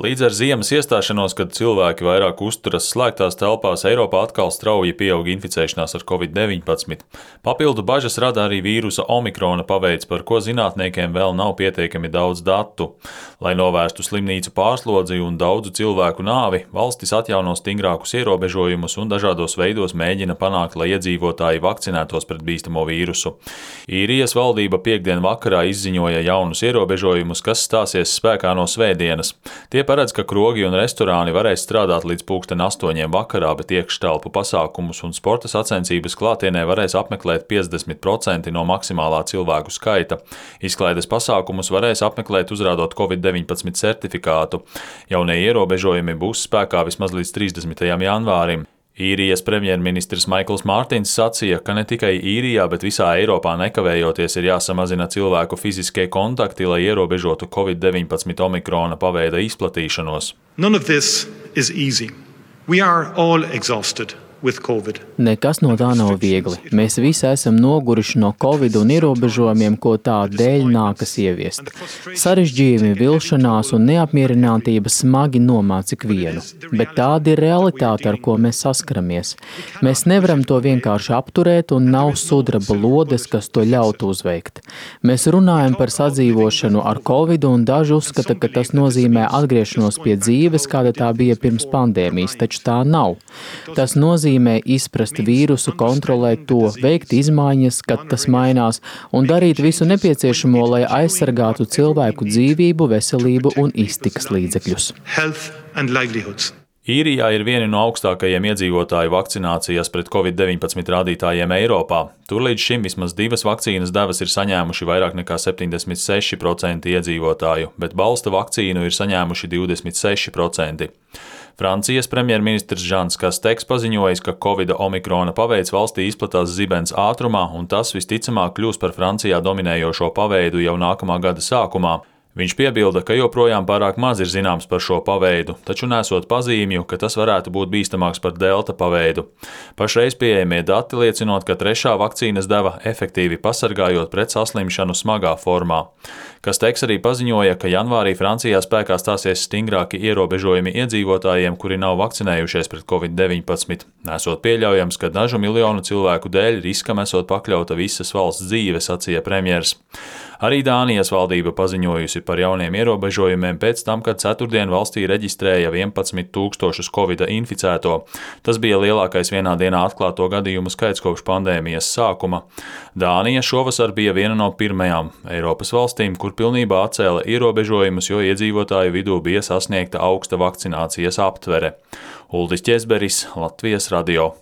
Līdz ar ziemas iestāšanos, kad cilvēki vairāk uzturas slēgtās telpās, Eiropā atkal strauji pieaug inficēšanās ar Covid-19. Papildu bažas rada arī vīrusa omikrona paveids, par ko zinātniekiem vēl nav pietiekami daudz datu. Lai novērstu slimnīcu pārslodzi un daudzu cilvēku nāvi, valstis atjauno stingrākus ierobežojumus un dažādos veidos mēģina panākt, lai iedzīvotāji vakcinētos pret bīstamo vīrusu. Īrijas valdība piektdien vakarā izziņoja jaunus ierobežojumus, kas stāsies spēkā no svētdienas. Tie paredz, ka krogi un restorāni varēs strādāt līdz 8:00 vakarā, bet iekštelpu pasākumus un sporta sacensības klātienē varēs apmeklēt 50% no maksimālā cilvēku skaita. Izklaides pasākumus varēs apmeklēt uzrādot Covid-19 certifikātu. Jaunie ierobežojumi būs spēkā vismaz līdz 30. janvārim. Īrijas premjerministrs Maikls Mārtiņs sacīja, ka ne tikai Īrijā, bet visā Eiropā nekavējoties ir jāsamazina cilvēku fiziskie kontakti, lai ierobežotu Covid-19 omikrona paveida izplatīšanos. None of this is easy. We are all exhausted with COVID. Nekas no tā nav viegli. Mēs visi esam noguruši no Covid un ierobežojumiem, ko tā dēļ nākas ieviest. Sarežģījumi, vilšanās un neapmierinātība smagi nomāca ikvienu. Bet tāda ir realitāte, ar ko mēs saskaramies. Mēs nevaram to vienkārši apturēt un nav sudraba lodes, kas to ļautu uzveikt. Mēs runājam par sadzīvošanu ar Covid un daži uzskata, ka tas nozīmē atgriešanos pie dzīves, kāda tā bija pirms pandēmijas, taču tā nav. Tas nozīmē izprast vīrusu, kontrolēt to, veikt izmaiņas, kad tas mainās, un darīt visu nepieciešamo, lai aizsargātu cilvēku dzīvību, veselību un iztikas līdzekļus. Īrijā ir vieni no augstākajiem iedzīvotāju vakcinācijas pret Covid-19 rādītājiem Eiropā. Tur līdz šim vismaz 2 vakcīnas devas ir saņēmuši vairāk nekā 76% iedzīvotāju, bet balsta vakcīnu ir saņēmuši 26%. Francijas premjerministrs Žans Kasteks paziņojis, ka Covida omikrona paveids valstī izplatās zibens ātrumā, un tas visticamāk kļūs par Francijā dominējošo paveidu jau nākamā gada sākumā. Viņš piebilda, ka joprojām pārāk maz ir zināms par šo paveidu, taču nesot pazīmju, ka tas varētu būt bīstamāks par delta paveidu. Pašreiz pieejamie dati liecinot, ka 3. vakcīnas deva efektīvi pasargājot pret saslimšanu smagā formā. Kasteks arī paziņoja, ka janvārī Francijā spēkā stāsies stingrāki ierobežojumi iedzīvotājiem, kuri nav vakcinējušies pret Covid-19. Nesot pieļaujams, ka dažu miljonu cilvēku dēļ riskam esot pakļauta visas valsts dzīve, sacīja premjers. Arī Dānijas valdība paziņojusi par jauniem ierobežojumiem pēc tam, kad ceturtdien valstī reģistrēja 11 000 Covida inficēto. Tas bija lielākais vienā dienā atklāto gadījumu skaits kopš pandēmijas sākuma. Dānija šovasar bija viena no pirmajām Eiropas valstīm, kur pilnībā atcēla ierobežojumus, jo iedzīvotāju vidū bija sasniegta augsta vakcinācijas aptvere. Uldis Ķezberis, Latvijas radio.